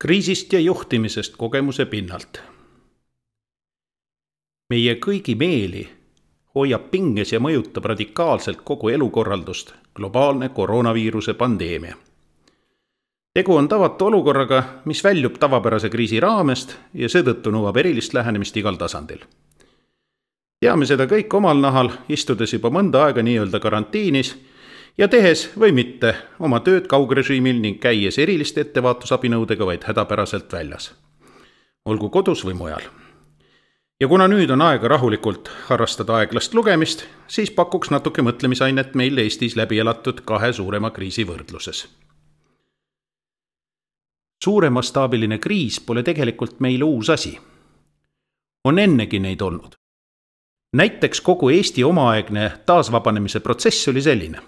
Kriisist ja juhtimisest kogemuse pinnalt. Meie kõigi meeli hoiab pinges ja mõjutab radikaalselt kogu elukorraldust globaalne koroonaviiruse pandeemia. Tegu on tavatu olukorraga, mis väljub tavapärase kriisi raamest ja seetõttu nõuab erilist lähenemist igal tasandil. Teame seda kõik omal nahal, istudes juba mõnda aega nii-öelda karantiinis ja tehes või mitte oma tööd kaugrežiimil ning käies eriliste ettevaatusabinõudega vaid hädapäraselt väljas. Olgu kodus või mujal. Ja kuna nüüd on aega rahulikult harrastada aeglast lugemist, siis pakuks natuke mõtlemisainet meil Eestis läbi elatud 2 suurema kriisi võrdluses. Suuremastaabiline kriis pole tegelikult meile uus asi. On ennegi neid olnud. Näiteks kogu Eesti omaaegne taasvabanemise protsess oli selline.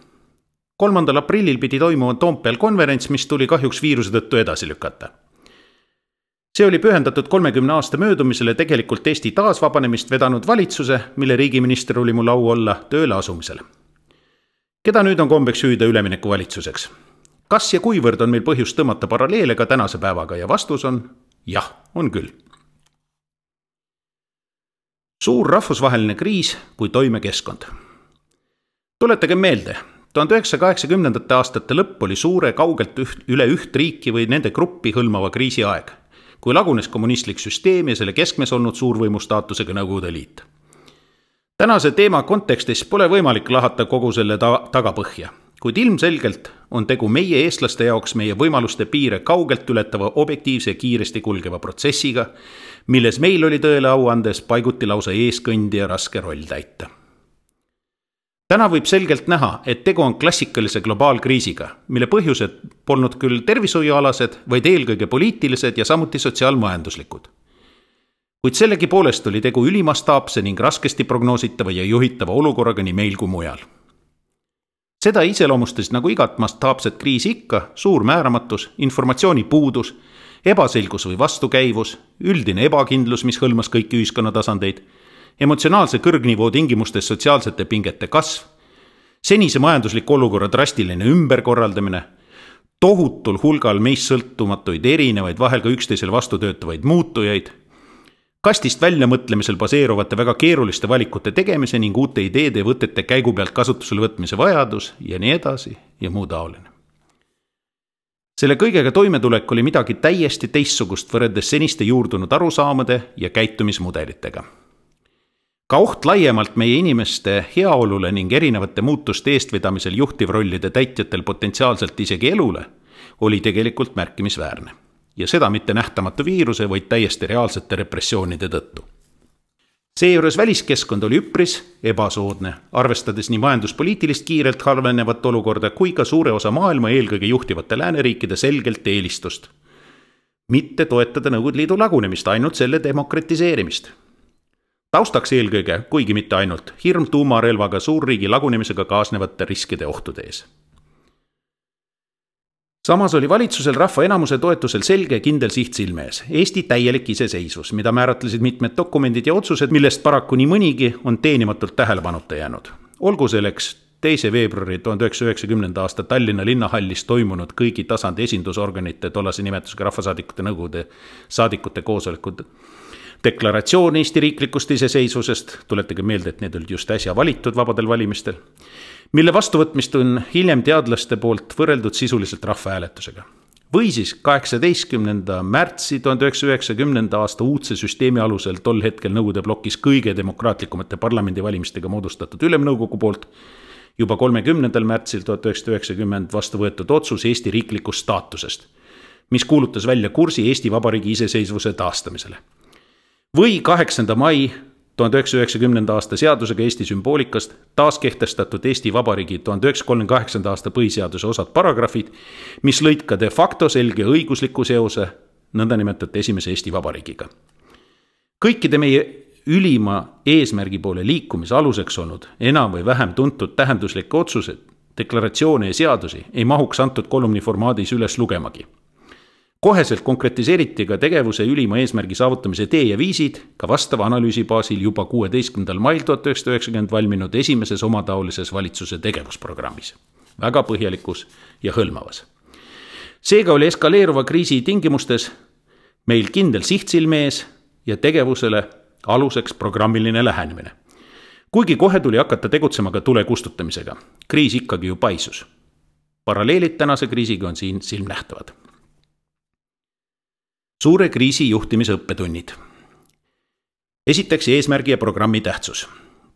3. aprillil pidi toimuma Toompeal konverents, mis tuli kahjuks viiruse tõttu edasi lükata. See oli pühendatud 30 aasta möödumisele tegelikult Eesti taasvabanemist vedanud valitsuse, mille riigiminister oli mul au olla tööle asumisele. Keda nüüd on kombeks hüüda ülemineku valitsuseks? Kas ja kuivõrd on meil põhjust tõmmata paralleele ka tänase päevaga ja vastus on jah, on küll. Suur rahvusvaheline kriis kui toimekeskkond. Tuletage meelde, 1980. aastate lõpp oli suure kaugelt üle üht riiki või nende gruppi hõlmava kriisi aeg, kui lagunes kommunistlik süsteem ja selle keskmes olnud suurvõimu staatusega Nõukogude Liit. Tänase teema kontekstis pole võimalik lahata kogu selle tagapõhja, kuid ilmselgelt on tegu meie eestlaste jaoks meie võimaluste piire kaugelt ületava objektiivse ja kiiresti kulgeva protsessiga, milles meil oli tõele au andes paiguti lausa eeskõndija raske roll täita. Täna võib selgelt näha, et tegu on klassikalise globaalkriisiga, mille põhjused polnud küll tervishoiualased, vaid eelkõige poliitilised ja samuti sotsiaalmajanduslikud. Kuid sellegi poolest oli tegu ülimastaapse ning raskesti prognoositava ja juhitava olukorraga nii meil kui mujal. Seda iseloomustas nagu igat mastaapset kriisi ikka suur määramatus, informatsiooni puudus, ebaselgus või vastukäivus, üldine ebakindlus, mis hõlmas kõiki ühiskonna tasandeid, emotsionaalse kõrgnivoo tingimustes sotsiaalsete pingete kasv, senise majandusliku olukorra drastiline ümberkorraldamine, tohutul hulgal meist sõltumatuid erinevaid, vahel ka üksteisel vastu töötavaid muutujaid, kastist väljamõtlemisel baseeruvate väga keeruliste valikute tegemise ning uute ideede ja võtete käigu pealt kasutusele võtmise vajadus ja nii edasi ja muu taoline. Selle kõigega toimetulek oli midagi täiesti teistsugust võrreldes seniste juurdunud arusaamade ja käitumismudelitega. Ka oht laiemalt meie inimeste heaolule ning erinevate muutuste eestvedamisel juhtivrollide täitjatel potentsiaalselt isegi elule oli tegelikult märkimisväärne. Ja seda mitte nähtamatu viiruse, vaid täiesti reaalsete repressioonide tõttu. Seejuures väliskeskkond oli üpris ebasoodne, arvestades nii majanduspoliitilist kiirelt halvenevat olukorda kui ka suure osa maailma eelkõige juhtivate lääneriikide selgelt eelistust. Mitte toetada Nõukogude Liidu lagunemist, ainult selle demokratiseerimist. Taustaks eelkõige, kuigi mitte ainult, hirm tuumarelvaga suurriigi lagunemisega kaasnevate riskide ohtude ees. Samas oli valitsusel rahva enamuse toetusel selge kindel siht silme ees. Eesti täielik iseseisvus, mida määratlesid mitmed dokumendid ja otsused, millest paraku nii mõnigi on teenimatult tähelepanuta jäänud. Olgu selleks 2. veebruari 1990. aasta Tallinna linnahallis toimunud kõigi tasandi esindusorganite tollase nimetusega rahvasaadikute nõukogude saadikute koosolekud deklaratsioon Eesti riiklikust iseseisvusest, tuletage meelde, et need olid just äsja valitud vabadel valimistel, mille vastuvõtmist on hiljem teadlaste poolt võrreldud sisuliselt rahvahääletusega. Või siis 18. märtsi 1990. aasta uudse süsteemi alusel tol hetkel Nõukogude blokis kõige demokraatlikumate parlamendivalimistega moodustatud ülemnõukogu poolt juba 30. märtsil 1990 vastu võetud otsus Eesti riiklikust staatusest, mis kuulutas välja kursi Eesti Vabariigi iseseisvuse taastamisele. Või 8. mai 1990. aasta seadusega Eesti sümboolikast taaskehtestatud Eesti Vabariigi 1938. aasta põhiseaduse osad paragrafid, mis lõid ka de facto selge õigusliku seose nõndanimetatud esimese Eesti Vabariigiga. Kõikide meie ülima eesmärgi poole liikumise aluseks olnud enam või vähem tuntud tähenduslikke otsused, deklaratsioone ja seadusi ei mahuks antud kolumni formaadis üles lugemagi. Koheselt konkretiseeriti ka tegevuse ülima eesmärgi saavutamise tee ja viisid ka vastava analüüsi baasil juba 16. mail 1990 valminud esimeses omataolises valitsuse tegevusprogrammis. Väga põhjalikus ja hõlmavas. Seega oli eskaleeruva kriisi tingimustes Meil kindel siht silme ees ja tegevusele aluseks programmiline lähenemine. Kuigi kohe tuli hakata tegutsema ka tule kustutamisega. Kriis ikkagi ju paisus. Paralleelid tänase kriisiga on siin silmnähtavad. Suure kriisi juhtimise õppetunnid. Esiteks eesmärgi ja programmi tähtsus.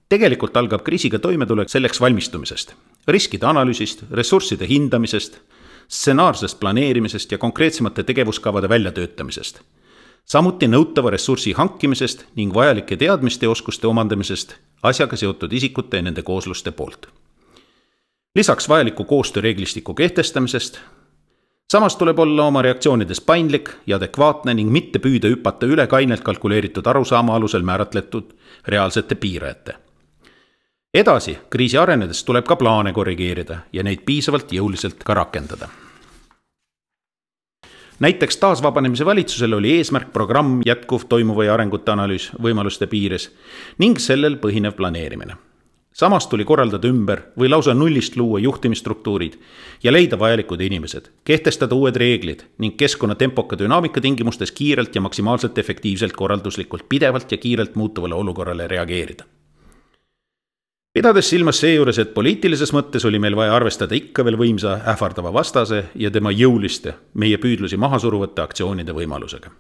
Tegelikult algab kriisiga toimetulek selleks valmistumisest, riskide analüüsist, ressursside hindamisest, stsenaarsest planeerimisest ja konkreetsemate tegevuskavade väljatöötamisest. Samuti nõutava ressursi hankimisest ning vajalike teadmiste ja oskuste omandamisest asjaga seotud isikute ja nende koosluste poolt. Lisaks vajaliku koostööreeglistiku kehtestamisest. Samas tuleb olla oma reaktsioonides paindlik ja adekvaatne ning mitte püüda hüpata üle kainelt kalkuleeritud arusaama alusel määratletud reaalsete piirajate. Edasi, kriisi arenedes tuleb ka plaane korrigeerida ja neid piisavalt jõuliselt ka rakendada. Näiteks taasvabanemise valitsusel oli eesmärk programm jätkuv toimuva ja arengute analüüs võimaluste piires ning sellel põhinev planeerimine. Samas tuli korraldada ümber või lausa nullist luua juhtimisstruktuurid ja leida vajalikud inimesed, kehtestada uued reeglid ning keskkonna tempoka dünaamika tingimustes kiirelt ja maksimaalselt efektiivselt korralduslikult pidevalt ja kiirelt muutuvale olukorrale reageerida. Pidades silmas seejuures, et poliitilises mõttes oli meil vaja arvestada ikka veel võimsa ähvardava vastase ja tema jõuliste, meie püüdlusi maha suruvate aktsioonide võimalusega.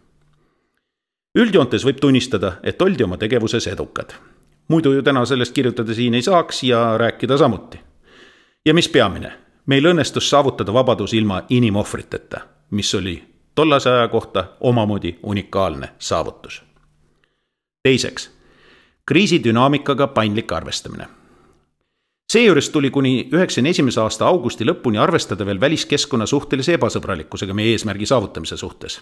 Üldjoontes võib tunnistada, et oldi oma tegevuses edukad. Muidu ju täna sellest kirjutada siin ei saaks ja rääkida samuti. Ja mis peamine, meil õnnestus saavutada vabadus ilma inimohvriteta, mis oli tollase aja kohta omamoodi unikaalne saavutus. Teiseks, kriisi dünaamikaga paindlik arvestamine. Seejuures tuli kuni 1991. aasta augusti lõpuni arvestada veel väliskeskkonna suhtelise ebasõbralikkusega meie eesmärgi saavutamise suhtes.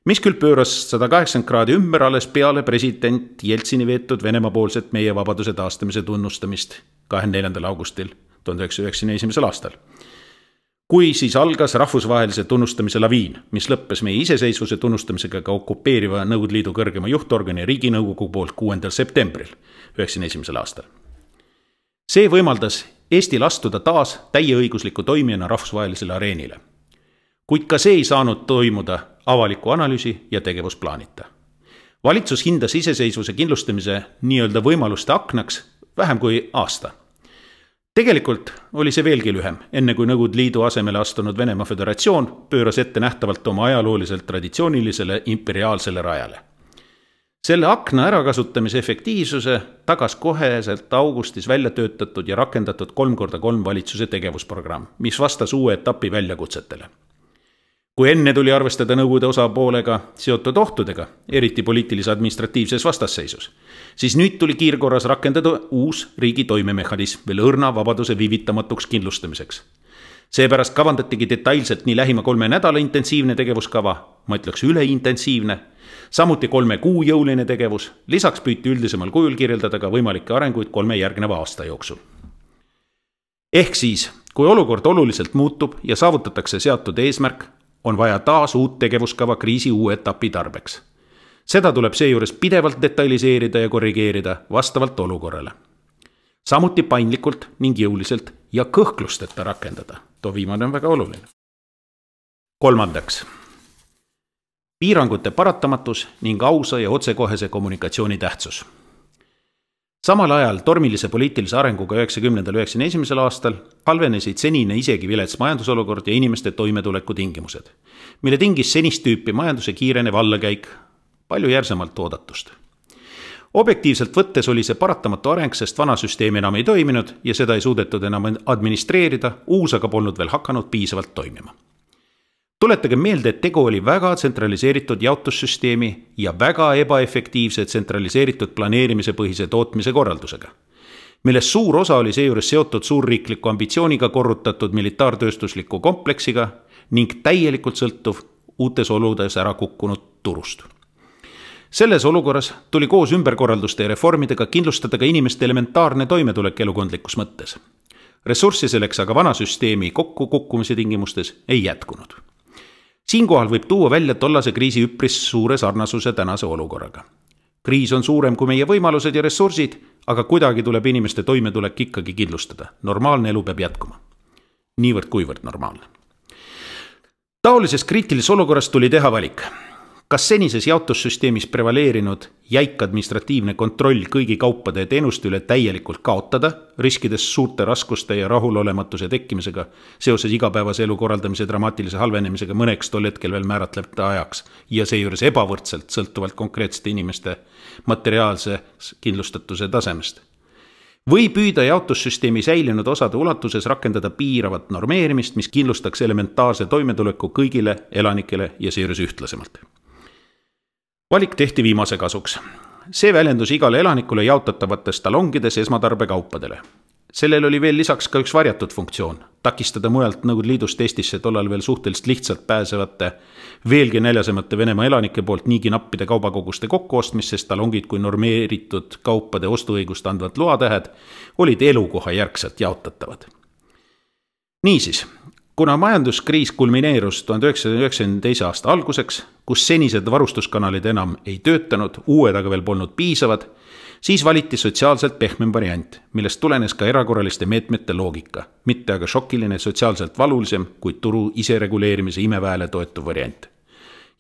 Mis küll pööras 180 kraadi ümber alles peale president Jeltsini veetud Venemaa poolset meie vabaduse taastamise tunnustamist 24. augustil 1991. aastal. Kui siis algas rahvusvahelise tunnustamise laviin, mis lõppes meie iseseisvuse tunnustamisega ka okupeeriva Nõukogude Liidu kõrgema juhtorgani Riiginõukogu poolt 6. septembril 1991. aastal. See võimaldas Eestil astuda taas täieõigusliku toimijana rahvusvahelisele areenile. Kuid ka see ei saanud toimuda avaliku analüüsi ja tegevusplaanita. Valitsus hindas iseseisvuse kindlustamise nii-öelda võimaluste aknaks vähem kui aasta. Tegelikult oli see veelgi lühem, enne kui Nõukogude Liidu asemele astunud Venemaa Föderatsioon pööras ette nähtavalt oma ajalooliselt traditsioonilisele imperiaalsele rajale. Selle akna ärakasutamise efektiivsuse tagas koheselt augustis välja töötatud ja rakendatud 3x3 valitsuse tegevusprogramm, mis vastas uue etapi väljakutsetele. Kui enne tuli arvestada Nõukogude osapoolega seotud ohtudega, eriti poliitilise administratiivses vastasseisus, siis nüüd tuli kiirkorras rakendada uus riigi toimemehhanism veel õrna vabaduse viivitamatuks kindlustamiseks. Seepärast kavandatigi detailselt nii lähima 3 nädala intensiivne tegevuskava, ma ütleks üleintensiivne, samuti 3 kuu jõuline tegevus, lisaks püüti üldisemal kujul kirjeldada ka võimalikke arenguid 3 järgneva aasta jooksul. Ehk siis, kui olukord oluliselt muutub ja saavutatakse seatud eesmärk, on vaja taas uut tegevuskava kriisi uue etapi tarbeks. Seda tuleb seejuures pidevalt detailiseerida ja korrigeerida vastavalt olukorrale. Samuti paindlikult ning jõuliselt ja kõhklusteta rakendada. Too viimane on väga oluline. Kolmandaks. Piirangute paratamatus ning ausa ja otsekohese kommunikatsiooni tähtsus. Samal ajal tormilise poliitilise arenguga 90-91. aastal halvenesid senine isegi vilets majandusolukord ja inimeste toimetuleku tingimused, mille tingis senist tüüpi majanduse kiirenev allakäik palju järsemalt oodatust. Objektiivselt võttes oli see paratamatu areng, sest vana süsteem enam ei toiminud ja seda ei suudetud enam administreerida, uus aga polnud veel hakanud piisavalt toimima. Tuletage meelde, et tegu oli väga tsentraliseeritud jaotussüsteemi ja väga ebaefektiivse tsentraliseeritud planeerimise põhise tootmise korraldusega, millest suur osa oli seejuures seotud suurriikliku ambitsiooniga korrutatud militaartööstusliku kompleksiga ning täielikult sõltuv uutes oludes ära kukkunud turust. Selles olukorras tuli koos ümberkorralduste ja reformidega kindlustada ka inimeste elementaarne toimetulek elukondlikus mõttes. Ressurssi selleks aga vana süsteemi kokkukukkumise tingimustes ei jätkunud. Siinkohal võib tuua välja tollase kriisi üpris suure sarnasuse tänase olukorraga. Kriis on suurem kui meie võimalused ja ressursid, aga kuidagi tuleb inimeste toimetulek ikkagi kindlustada. Normaalne elu peab jätkuma. Niivõrd kuivõrd normaalne. Taolises kriitilises olukorras tuli teha valik. Kas senises jaotussüsteemis prevaleerinud jäik administratiivne kontroll kõigi kaupade ja teenuste üle täielikult kaotada, riskides suurte raskuste ja rahulolematuse tekkimisega seoses igapäevase elu korraldamise dramaatilise halvenemisega mõneks tol hetkel veel määratlevate ajaks ja seejuures ebavõrdselt sõltuvalt konkreetsete inimeste materiaalse kindlustatuse tasemest? Või püüda jaotussüsteemi säilinud osade ulatuses rakendada piiravat normeerimist, mis kindlustaks elementaarse toimetuleku kõigile elanikele ja seejuures ühtlasemalt? Valik tehti viimase kasuks. See väljendus igale elanikule jaotatavates talongides esmatarbekaupadele. Sellel oli veel lisaks ka üks varjatud funktsioon, takistada mujalt Nõukogude Liidust Eestisse tollal veel suhteliselt lihtsalt pääsevate, veelgi näljasemate Venemaa elanike poolt niigi nappide kaubakoguste kokkuostmist, sest talongid kui normeeritud kaupade ostuõigust andvad loatähed olid elukoha järgselt jaotatavad. Niisiis, kuna majanduskriis kulmineerus 1992. aasta alguseks, kus senised varustuskanalid enam ei töötanud, uued aga veel polnud piisavad, siis valiti sotsiaalselt pehmem variant, millest tulenes ka erakorraliste meetmete loogika, mitte aga šokiline sotsiaalselt valulisem, kuid turu isereguleerimise imeväele toetuv variant.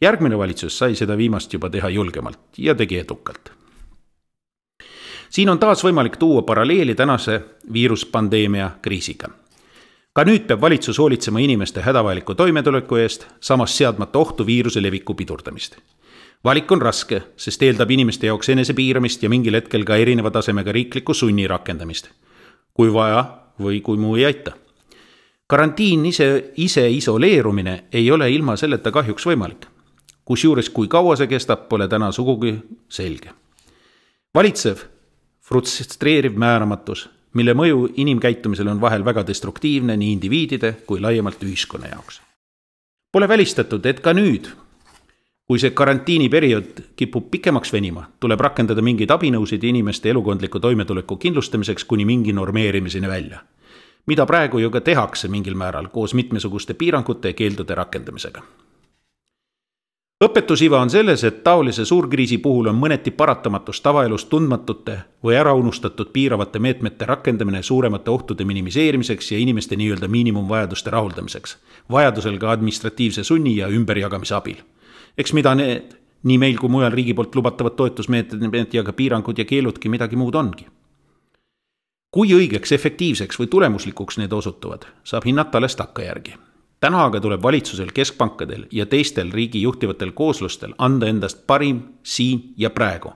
Järgmine valitsus sai seda viimast juba teha julgemalt ja tegi edukalt. Siin on taas võimalik tuua paralleeli tänase viiruspandeemia kriisiga. Ka nüüd peab valitsus hoolitsema inimeste hädavajaliku toimetuleku eest, samas seadmata ohtu viiruse leviku pidurdamist. Valik on raske, sest eeldab inimeste jaoks enesepiiramist ja mingil hetkel ka erineva tasemega riikliku sunni rakendamist. Kui vaja või kui muu ei aita. Karantiin ise isoleerumine ei ole ilma selleta kahjuks võimalik. Kusjuures kui kaua see kestab, pole täna sugugi selge. Valitsev, frustreeriv määramatus, mille mõju inimkäitumisele on vahel väga destruktiivne nii indiviidide kui laiemalt ühiskonna jaoks. Pole välistatud, et ka nüüd, kui see karantiiniperiood kipub pikemaks venima, tuleb rakendada mingeid abinõusid inimeste elukondliku toimetuleku kindlustamiseks kuni mingi normeerimiseni välja, mida praegu ju ka tehakse mingil määral koos mitmesuguste piirangute ja keeldude rakendamisega. Õpetusiva on selles, et taolise suurkriisi puhul on mõneti paratamatus tavaelust tundmatute või äraunustatud piiravate meetmete rakendamine suuremate ohtude minimiseerimiseks ja inimeste nii-öelda miinimumvajaduste rahuldamiseks, vajadusel ka administratiivse sunni ja ümberjagamise abil. Eks mida need, nii meil kui mujal riigi poolt lubatavad toetusmeetmed ja ka piirangud ja keeludki midagi muud ongi. Kui õigeks, efektiivseks või tulemuslikuks need osutuvad, saab hinnata alles takkajärgi. Täna aga tuleb valitsusel, keskpankadel ja teistel riigi juhtivatel kooslustel anda endast parim siin ja praegu,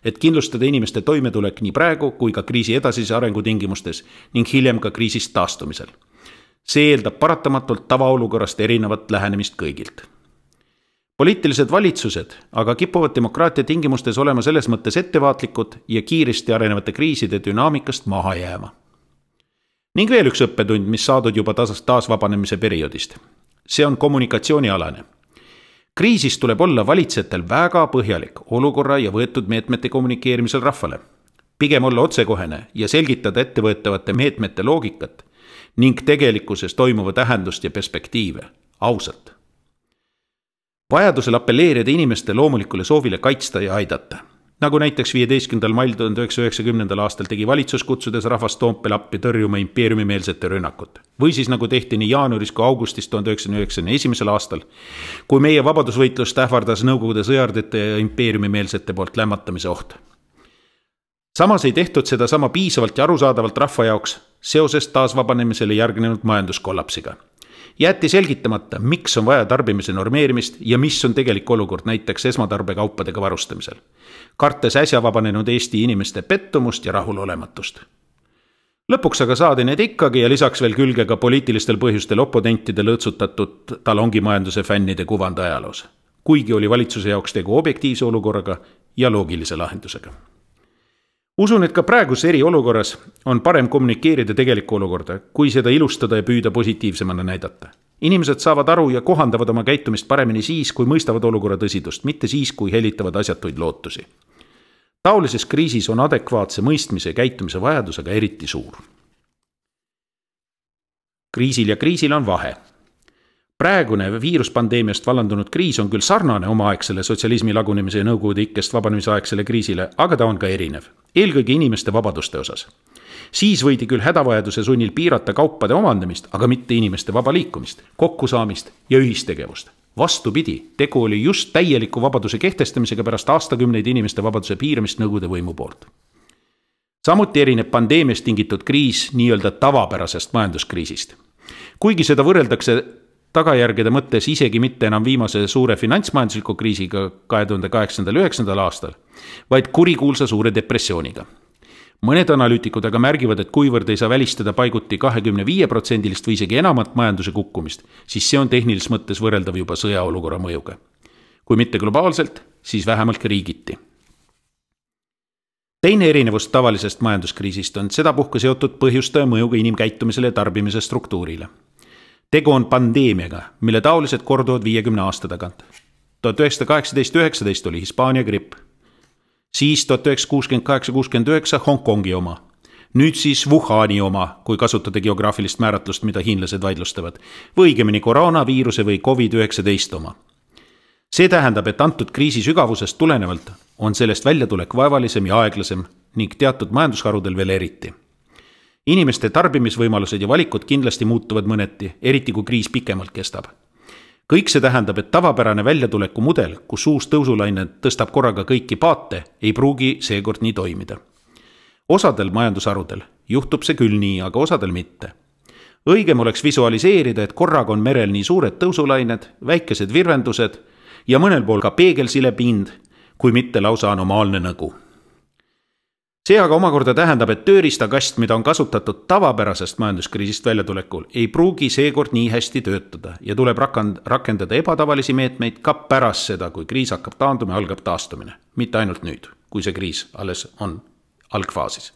et kindlustada inimeste toimetulek nii praegu kui ka kriisi edasise arengu tingimustes ning hiljem ka kriisist taastumisel. See eeldab paratamatult tavaolukorrast erinevat lähenemist kõigilt. Poliitilised valitsused aga kipuvad demokraatia tingimustes olema selles mõttes ettevaatlikud ja kiiresti arenevate kriiside dünaamikast maha jääma. Ning veel üks õppetund, mis saadud juba taasvabanemise perioodist. See on kommunikatsioonialane. Kriisis tuleb olla valitsejatel väga põhjalik olukorra ja võetud meetmete kommunikeerimisel rahvale. Pigem olla otsekohene ja selgitada ettevõetavate meetmete loogikat ning tegelikkuses toimuva tähendust ja perspektiive ausalt. Vajadusel appelleerida inimeste loomulikule soovile kaitsta ja aidata. Nagu näiteks 15. mail 1990. aastal tegi valitsus kutsudes rahvast Toompea appi tõrjuma impeeriumimeelsete rünnakut. Või siis nagu tehti nii jaanuaris kui augustis 1991. aastal, kui meie vabadusvõitlust ähvardas Nõukogude sõjardite ja impeeriumimeelsete poolt lämmatamise oht. Samas ei tehtud seda sama piisavalt ja arusaadavalt rahva jaoks seoses taasvabanemisele järgnenud majanduskollapsiga. Jäeti selgitamata, miks on vaja tarbimise normeerimist ja mis on tegelik olukord näiteks esmatarbekaupadega varustamisel. Kartes äsja vabanenud Eesti inimeste pettumust ja rahulolematust. Lõpuks aga saadi need ikkagi ja lisaks veel külge ka poliitilistel põhjustel oponentide lõõtsutatud talongimajanduse fännide kuvand ajaloos. Kuigi oli valitsuse jaoks tegu objektiivse olukorraga ja loogilise lahendusega. Usun, et ka praegus eriolukorras on parem kommunikeerida tegelikku olukorda, kui seda ilustada ja püüda positiivsemana näidata. Inimesed saavad aru ja kohandavad oma käitumist paremini siis, kui mõistavad olukorra tõsidust, mitte siis, kui helitavad asjatuid lootusi. Taolises kriisis on adekvaatse mõistmise ja käitumise vajadusega eriti suur. Kriisil ja kriisil on vahe. Praegune viiruspandeemiast vallandunud kriis on küll sarnane omaaegsele sotsialismi lagunemise ja nõukogude ikkest vabanemise aegsele kriisile, aga ta on ka erinev. Eelkõige inimeste vabaduste osas. Siis võidi küll hädavajaduse sunnil piirata kaupade omandamist, aga mitte inimeste vaba liikumist, kokkusaamist ja ühistegevust. Vastupidi, tegu oli just täieliku vabaduse kehtestamisega pärast aastakümneid inimeste vabaduse piiramist Nõukogude võimu poolt. Samuti erineb pandeemiast tingitud kriis nii-öelda tavapärasest majanduskriisist. Kuigi seda võrreldakse tagajärgede mõttes isegi mitte enam viimase suure finantsmajandusliku kriisiga 2008-2009 aastal, vaid kurikuulsa suure depressiooniga. Mõned analüütikud aga märgivad, et kuivõrd ei saa välistada paiguti 25% või isegi enamat majanduse kukkumist, siis see on tehnilises mõttes võrreldav juba sõjaolukorra mõjuga. Kui mitte globaalselt, siis vähemalt riigiti. Teine erinevus tavalisest majanduskriisist on sedapuhku seotud põhjustaja mõjuga inimkäitumisele ja tarbimise struktuurile. Tegu on pandeemiaga, mille taolised korduvad 50 aasta tagant. 1918-19 oli Hispaania gripp. Siis 1968-69 Hongkongi oma. Nüüd siis Wuhani oma, kui kasutada geograafilist määratlust, mida hiinlased vaidlustavad. Või õigemini koroonaviiruse või COVID-19 oma. See tähendab, et antud kriisi sügavusest tulenevalt on sellest väljatulek vaevalisem ja aeglasem ning teatud majandusharudel veel eriti. Inimeste tarbimisvõimalused ja valikud kindlasti muutuvad mõneti, eriti kui kriis pikemalt kestab. Kõik see tähendab, et tavapärane väljatuleku mudel, kus uus tõusulaine tõstab korraga kõiki paate, ei pruugi seekord nii toimida. Osadel majandusharudel juhtub see küll nii, aga osadel mitte. Õigem oleks visualiseerida, et korraga on merel nii suured tõusulained, väikesed virvendused ja mõnel pool ka peegelsilepind, kui mitte lausa anomaalne nõgu. See aga omakorda tähendab, et tööriistakast, mida on kasutatud tavapärasest majanduskriisist väljatulekul, ei pruugi seekord nii hästi töötada ja tuleb rakendada ebatavalisi meetmeid ka pärast seda, kui kriis hakkab taanduma ja algab taastumine. Mitte ainult nüüd, kui see kriis alles on algfaasis.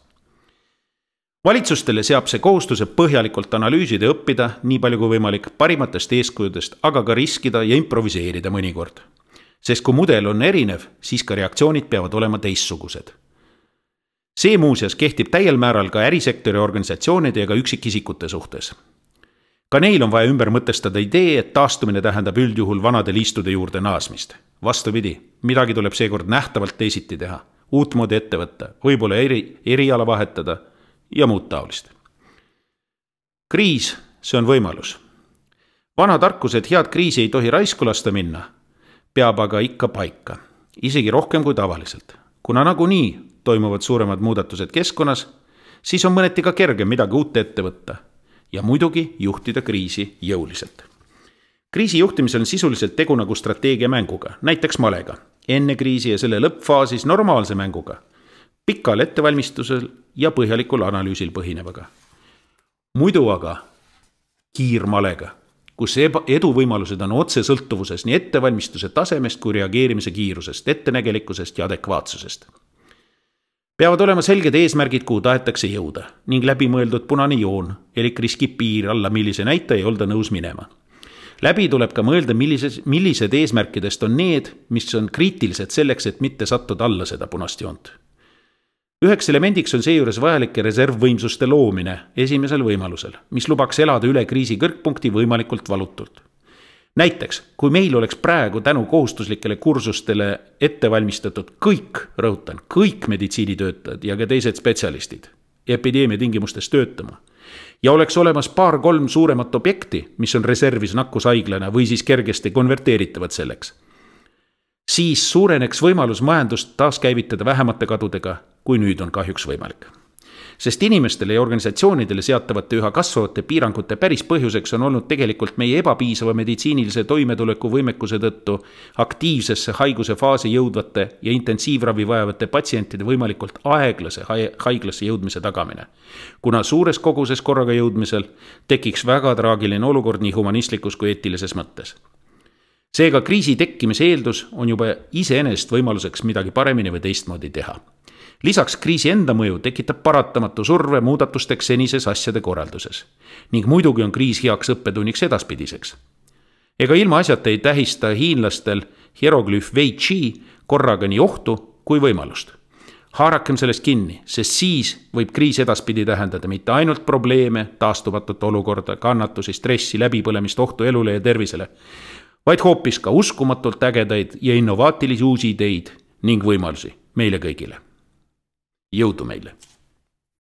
Valitsustele seab see kohustuse põhjalikult analüüsida ja õppida nii palju kui võimalik parimatest eeskujudest, aga ka riskida ja improviseerida mõnikord. Sest kui mudel on erinev, siis ka reaktsioonid peavad olema teistsugused. See muuseas kehtib täiel määral ka ärisektori organisatsioonide ja ka üksikisikute suhtes. Ka neil on vaja ümber mõtestada idee, et taastumine tähendab üldjuhul vanade liistude juurde naasmist. Vastupidi, midagi tuleb seekord nähtavalt teisiti teha, uutmoodi ette võtta, võib-olla eriala vahetada ja muud taolist. Kriis, see on võimalus. Vana tarkus, et head kriisi ei tohi raisku lasta minna, peab aga ikka paika, isegi rohkem kui tavaliselt. Kuna nagunii toimuvad suuremad muudatused keskkonnas, siis on mõneti ka kergem midagi uut ette võtta ja muidugi juhtida kriisi jõuliselt. Kriisi juhtimisel on sisuliselt tegu nagu strateegiamänguga, näiteks malega, enne kriisi ja selle lõppfaasis normaalse mänguga, pikal ettevalmistusel ja põhjalikul analüüsil põhinevaga. Muidu aga kiirmalega, kus eduvõimalused on otse sõltuvuses nii ettevalmistuse tasemest kui reageerimise kiirusest, ettenägelikkusest ja adekvaatsusest. Peavad olema selged eesmärgid, kuhu tahetakse jõuda ning läbimõeldud punane joon, elik riskib piir alla, millise näitaja ei olda nõus minema. Läbi tuleb ka mõelda, millised eesmärkidest on need, mis on kriitilised selleks, et mitte sattuda alla seda punast joont. Üheks elemendiks on seejuures vajalike reservvõimsuste loomine esimesel võimalusel, mis lubaks elada üle kriisi kõrgpunkti võimalikult valutult. Näiteks, kui meil oleks praegu tänu kohustuslikele kursustele ettevalmistatud kõik meditsiinitöötajad ja ka teised spetsialistid epideemia tingimustes töötama ja oleks olemas 2-3 suuremat objekti, mis on reservis nakkushaiglana või siis kergesti konverteeritavad selleks, siis suureneks võimalus majandust taaskäivitada vähemate kadudega, kui nüüd on kahjuks võimalik. Sest inimestele ja organisatsioonidele seatavate üha kasvavate piirangute päris põhjuseks on olnud tegelikult meie ebapiisava meditsiinilise toimetuleku võimekuse tõttu aktiivsesse haiguse faasi jõudvate ja intensiivravi vajavate patsientide võimalikult aeglase haiglasse jõudmise tagamine. Kuna suures koguses korraga jõudmisel tekiks väga traagiline olukord nii humanistlikus kui eetilises mõttes. Seega kriisi tekkimise eeldus on juba iseenesest võimaluseks midagi paremini või teistmoodi teha. Lisaks kriisi enda mõju tekitab paratamatu surve muudatusteks senises asjade korralduses. Ning muidugi on kriis heaks õppetunniks edaspidiseks. Ega ilma asjata ei tähista hiinlastel hieroglüüf Wei Chi korraga nii ohtu kui võimalust. Haarakem sellest kinni, sest siis võib kriis edaspidi tähendada mitte ainult probleeme, taastumatut olukorda, kannatusi, stressi, läbipõlemist, ohtu elule ja tervisele, vaid hoopis ka uskumatult ägedaid ja innovaatilisi uusi ideid ning võimalusi meile kõigile. Jõudu meile!